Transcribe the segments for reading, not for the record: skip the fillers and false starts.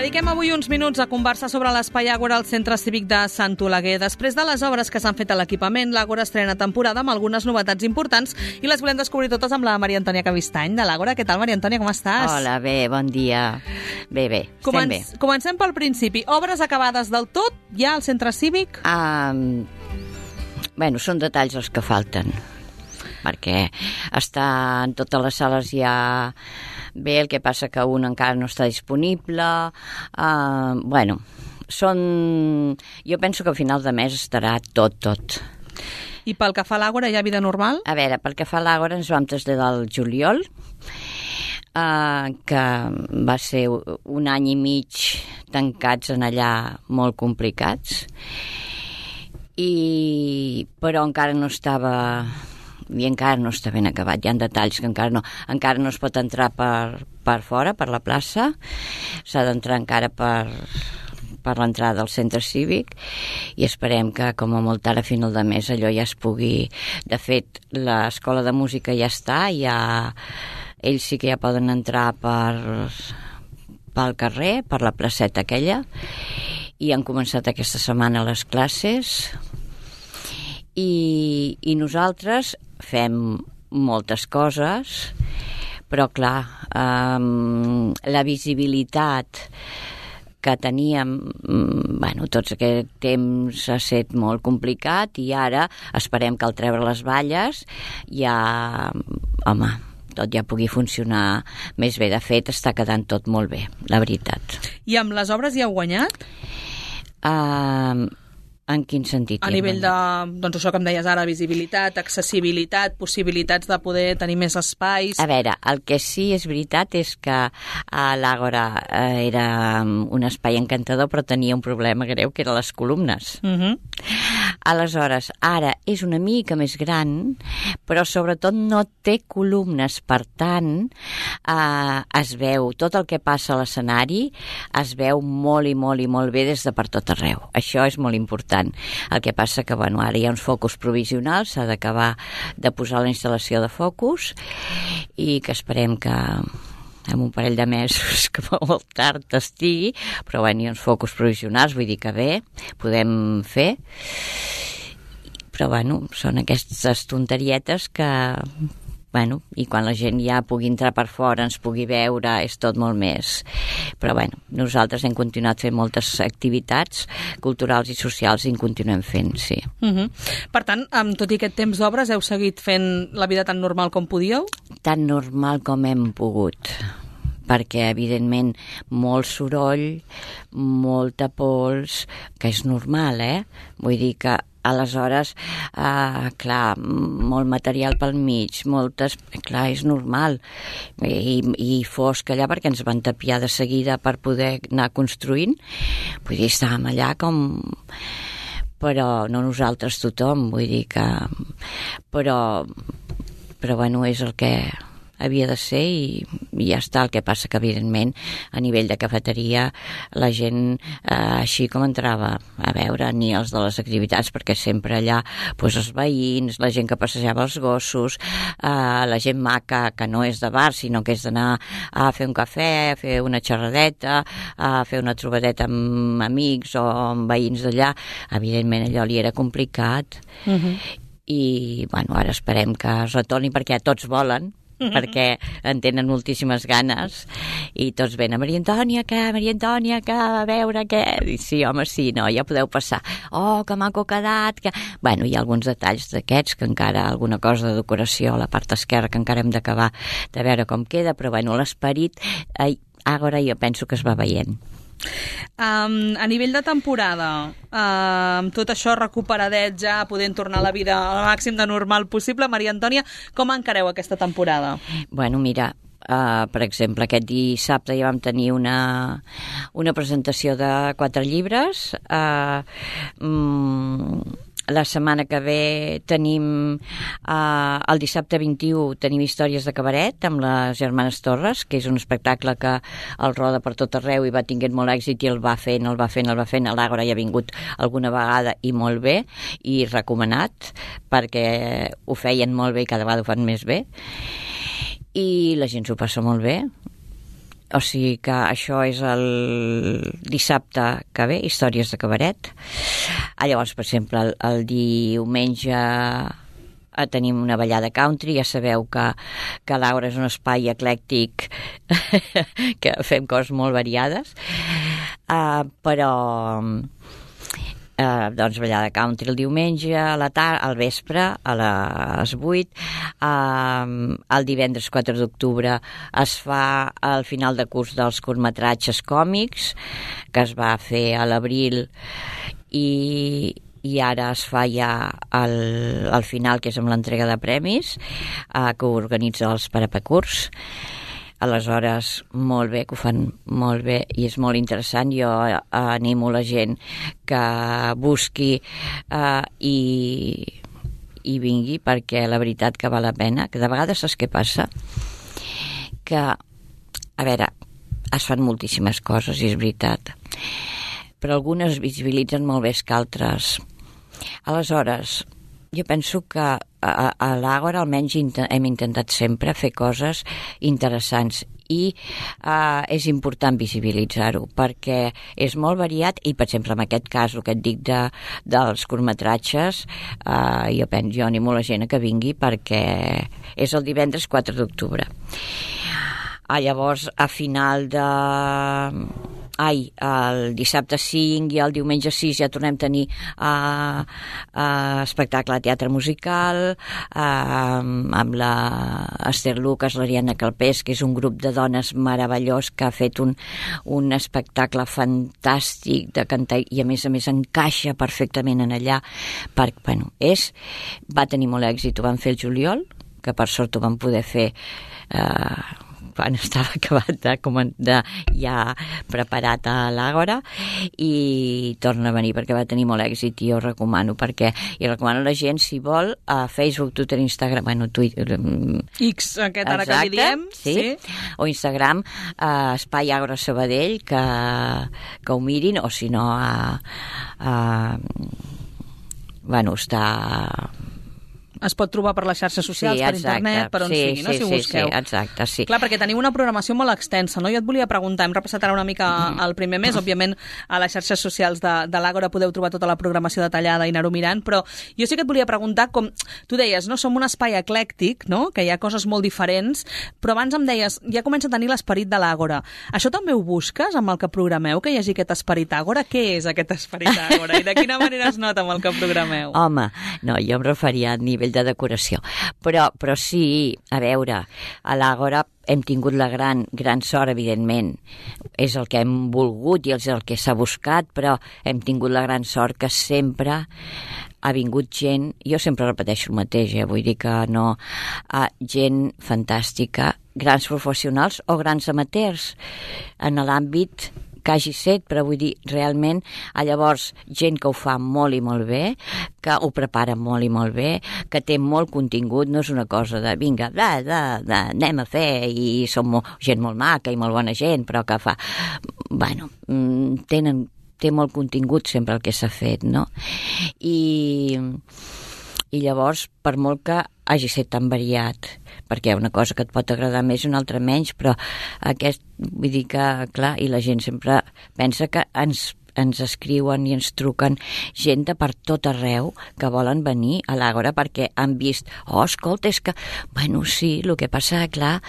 Dediquem avui uns minuts a conversar sobre l'Espai Àgora al Centre Cívic de Sant Oleguer. Després de les obres que s'han fet a l'equipament, l'Àgora estrena temporada amb algunes novetats importants i les volem descobrir totes amb la Maria Antònia Cavistany de l'Àgora. Què tal, Maria Antònia, com estàs? Hola, bé, bon dia. Bé, estem bé. Comencem pel principi. Obres acabades del tot ja al Centre Cívic? Bueno, són detalls els que falten, perquè en totes les sales ja bé, el que passa que un encara no està disponible. Bueno, jo penso que a final de mes estarà tot. I pel que fa a l'Àgora, hi ha vida normal? A veure, pel que fa a l'Àgora ens vam traslladar al juliol, que va ser un any i mig tancats en allà molt complicats, però encara no estava ben acabat. Hi ha detalls que encara no es pot entrar per fora, per la plaça. S'ha d'entrar encara per l'entrada del centre cívic i esperem que com a molt ara a final de mes allò ja es pugui... De fet, l'escola de música ja està, ells sí que ja poden entrar pel carrer, per la placeta aquella, i han començat aquesta setmana les classes i nosaltres fem moltes coses, però clar, la visibilitat que teníem, tots aquest temps ha estat molt complicat i ara esperem que al treure les valles tot ja pugui funcionar més bé. De fet, està quedant tot molt bé, la veritat. I amb les obres hi heu guanyat? En quin sentit? A nivell de, això que em deies ara, visibilitat, accessibilitat, possibilitats de poder tenir més espais... A veure, el que sí és veritat és que l'Àgora era un espai encantador, però tenia un problema greu, que eren les columnes. Aleshores, ara és una mica més gran, però sobretot no té columnes, per tant, es veu tot el que passa a l'escenari, es veu molt i molt i molt bé des de per tot arreu. Això és molt important. El que passa que, ara hi ha uns focus provisionals, s'ha d'acabar de posar la instal·lació de focus i que esperem que en un parell de mesos, que molt tard estigui, però hi ha uns focus provisionals, vull dir que bé, podem fer, però són aquestes tonterietes que... i quan la gent ja pugui entrar per fora, ens pugui veure, és tot molt més. Però nosaltres hem continuat fent moltes activitats culturals i socials i en continuem fent, sí. Per tant, amb tot i aquest temps d'obres, heu seguit fent la vida tan normal com podíeu? Tan normal com hem pogut, perquè, evidentment, molt soroll, molta pols, que és normal, Vull dir que aleshores, clar, molt material pel mig, clar, és normal, i fosc allà perquè ens van tapiar de seguida per poder anar construint, vull dir, estàvem allà com... Però no nosaltres, tothom, vull dir que... Però és el que havia de ser i ja està. El que passa que, evidentment, a nivell de cafeteria, la gent, així com entrava a veure, ni els de les activitats, perquè sempre allà, els veïns, la gent que passejava els gossos, la gent maca, que no és de bar, sinó que és d'anar a fer un cafè, a fer una xerradeta, a fer una trobadeta amb amics o amb veïns d'allà, evidentment allò li era complicat. I, ara esperem que es retorni perquè tots volen, perquè en tenen moltíssimes ganes i tots venen, Maria Antònia, a veure què... I sí, home, sí, no, ja podeu passar. Oh, que maco ha quedat... Hi ha alguns detalls d'aquests, que encara alguna cosa de decoració a la part esquerra que encara hem d'acabar de veure com queda, però l'esperit, ara jo penso que es va veient. A nivell de temporada, amb tot això recuperadet ja, podent tornar a la vida al màxim de normal possible, Maria Antònia, com encareu aquesta temporada? Mira, per exemple, aquest dissabte ja vam tenir una presentació de 4 llibres, la setmana que ve tenim el dissabte 21 tenim Històries de cabaret amb les germanes Torres, que és un espectacle que el roda per tot arreu i va tinguent molt èxit i el va fent, a l'Àgora ja ha vingut alguna vegada i molt bé i recomanat perquè ho feien molt bé i cada vegada ho fan més bé i la gent s'ho passa molt bé O sigui que això és el dissabte que ve, històries de cabaret. Llavors, per exemple, el diumenge tenim una ballada country. Ja sabeu que l'Àgora és un espai eclèctic que fem coses molt variades, però doncs ballada country el diumenge a la tarda, al vespre a les 8. El divendres 4 d'octubre es fa el final de curs dels curtmetratges còmics, que es va fer a l'abril, i ara es fa ja el final, que és amb l'entrega de premis, que organitza els Parapacurs. Aleshores, molt bé, que ho fan molt bé i és molt interessant. Jo animo la gent que busqui i vingui, perquè la veritat que val la pena, que de vegades saps què passa? Que, a veure, es fan moltíssimes coses, i és veritat, però algunes es visibilitzen molt més que altres. Aleshores, jo penso que a l'Àgora almenys hem intentat sempre fer coses interessants, i és important visibilitzar-ho perquè és molt variat. I per exemple, en aquest cas, el que et dic dels curtmetratges, jo animo la gent a que vingui, perquè és el divendres 4 d'octubre. Llavors, a final de... el dissabte 5 i el diumenge 6 ja tornem a tenir espectacle de teatre musical amb la Esther Lucas, l'Ariadna Calpés, que és un grup de dones meravellós que ha fet un espectacle fantàstic de cantar, i a més encaixa perfectament en allà, perquè va tenir molt èxit. Ho van fer el juliol, que per sort ho vam poder fer quan estava acabat ja preparat a l'Àgora, i torna a venir perquè va tenir molt èxit, i jo recomano, i recomano a la gent, si vol, a Facebook, Twitter, Instagram, Twitter, X, aquest ara que li diem, sí. O Instagram, Espai Àgora Sabadell, que ho mirin, o si no està... Es pot trobar per les xarxes socials, per internet, per on sigui, no? Si ho busqueu. Sí, exacte, sí. Clar, perquè teniu una programació molt extensa, no? Jo et volia preguntar, hem repassat ara una mica el primer mes, òbviament a les xarxes socials de l'Àgora podeu trobar tota la programació detallada i anar-ho mirant, però jo sí que et volia preguntar, com tu deies, no? Som un espai eclèctic, no? Que hi ha coses molt diferents, però abans em deies, ja comença a tenir l'esperit de l'Àgora. Això també ho busques amb el que programeu, que hi hagi aquest esperit Àgora? Què és aquest esperit Àgora? I de quina manera es nota amb el que programeu? Home, no, jo em referia a nivell de decoració, però sí, a veure, a l'Àgora hem tingut la gran sort, evidentment, és el que hem volgut i és el que s'ha buscat, però hem tingut la gran sort que sempre ha vingut gent, jo sempre repeteixo el mateix, vull dir que no, gent fantàstica, grans professionals o grans amateurs en l'àmbit que hagi set, però vull dir, realment, llavors, gent que ho fa molt i molt bé, que ho prepara molt i molt bé, que té molt contingut, no és una cosa de, vinga, anem a fer, i som gent molt maca i molt bona gent, però que fa... té molt contingut sempre el que s'ha fet, no? I llavors, per molt que hagi estat tan variat, perquè una cosa que et pot agradar més i una altra menys, però vull dir que, clar, i la gent sempre pensa que ens escriuen i ens truquen gent de per tot arreu que volen venir a l'Àgora perquè han vist, escolta, és que... sí, el que passa, clar...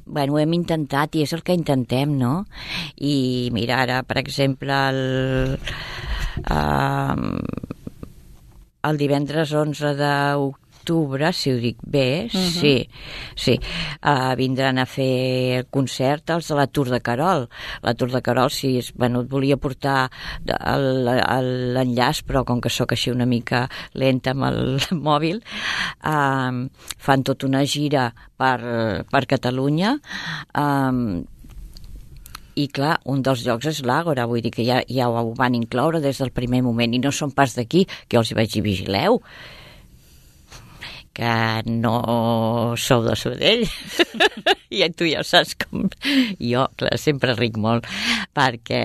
ho hem intentat i és el que intentem, no? I mira, ara, per exemple, el divendres 11 d'octubre, si ho dic bé, sí, vindran a fer el concert els de la Tour de Carol. La Tour de Carol, sí, et volia portar l'enllaç, però com que sóc així una mica lenta amb el mòbil, fan tota una gira per Catalunya, i clar, un dels llocs és l'Àgora, vull dir que ja ho van incloure des del primer moment, i no són pas d'aquí, que els hi vaig dir, vigileu, que no sou de Sabadell i tu ja saps com jo, clar, sempre ric molt perquè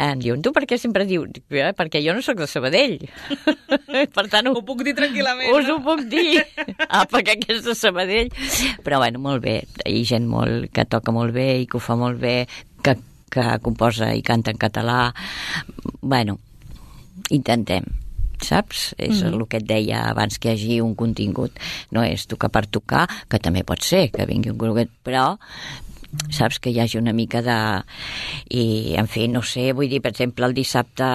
em diuen, tu per què sempre dius? Perquè jo no sóc de Sabadell. Per tant, ho puc dir tranquil·lament. Us ho puc dir. Perquè és de Sabadell. Però bueno, molt bé, hi ha gent que toca molt bé i que ho fa molt bé, que composa i canta en català. Bueno, intentem, saps? És el que et deia abans, que hi hagi un contingut. No és tocar per tocar, que també pot ser que vingui un contingut, però saps, que hi hagi una mica de... I, en fi, no sé, vull dir, per exemple, el dissabte,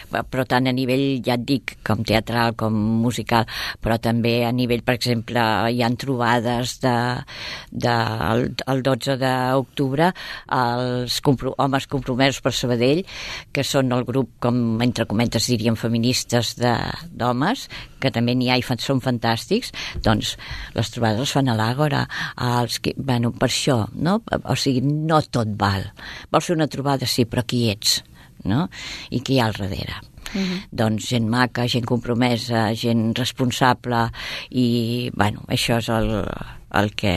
però tant a nivell, ja et dic, com teatral, com musical, però també a nivell, per exemple, hi han trobades el 12 d'octubre, els homes compromesos per Sabadell, que són el grup, com entre comentes diríem, feministes d'homes, que també n'hi ha i són fantàstics, doncs les trobades les fan a l'Àgora, bueno, per això, no? O sigui, no tot val. Vols fer una trobada, sí, però qui ets, no? I qui hi ha al darrere? Doncs gent maca, gent compromesa, gent responsable i, bueno, això és el que...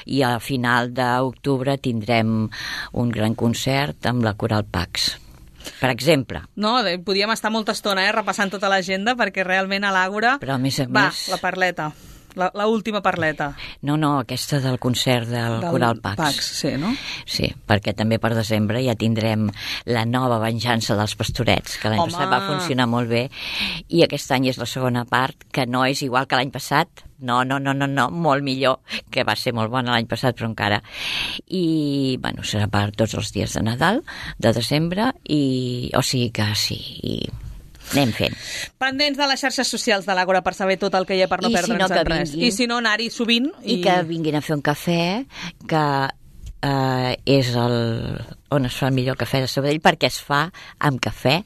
I a final d'octubre tindrem un gran concert amb la Coral Pax, per exemple. No, podíem estar molta estona repassant tota l'agenda, perquè realment a l'Àgora... Però a més a més... més... la parleta. La última parleta. No, aquesta del concert del Coral Pax. Sí, no? Sí, perquè també per desembre ja tindrem la nova venjança dels Pastorets, que l'any passat va funcionar molt bé, i aquest any és la segona part, que no és igual que l'any passat. No, molt millor, que va ser molt bona l'any passat, però encara. I, bueno, serà per tots els dies de Nadal, de desembre, o sigui que sí, i anem fent. Pendents de les xarxes socials de l'Àgora per saber tot el que hi ha per no perdre'ns en res. I si no, anar-hi sovint. I que vinguin a fer un cafè, que és on es fa el millor cafè de Sabadell, perquè es fa amb cafè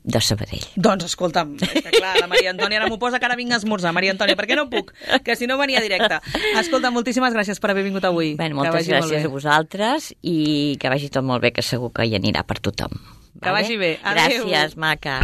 de Sabadell. Doncs escolta'm, és que clar, la Maria Antònia ara m'ho posa que ara vinc a esmorzar. Maria Antònia, per què no puc? Que si no venia directe. Escolta, moltíssimes gràcies per haver vingut avui. Bé, moltes gràcies a vosaltres i que vagi tot molt bé, que segur que hi anirà per tothom. Que vagi bé. Adéu. Gràcies, maca.